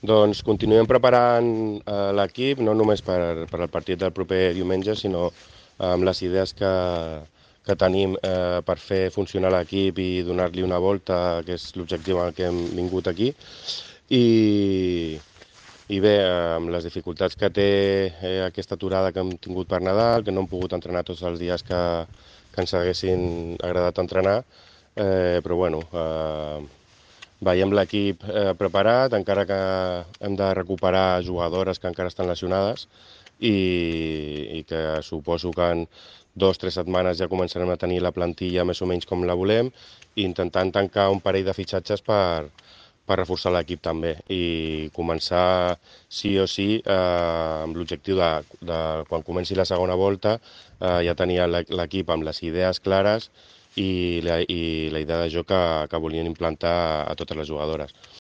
Doncs continuem preparant l'equip, no només per el partit del proper diumenge, sinó amb les idees que tenim per fer funcionar l'equip i donar-li una volta, que és l'objectiu al que hem vingut aquí. I bé, amb les dificultats que té aquesta aturada que hem tingut per Nadal, que no hem pogut entrenar tots els dies que ens haguessin agradat entrenar, però bueno, veiem l'equip preparat, encara que hem de recuperar jugadores que encara estan lesionades i que suposo que en 2 o 3 setmanes ja començarem a tenir la plantilla més o menys com la volem i intentant tancar un parell de fitxatges per reforçar l'equip també i començar sí o sí amb l'objectiu de quan comenci la segona volta ja tenir l'equip amb les idees clares i la idea de joc que volien implantar a totes les jugadores.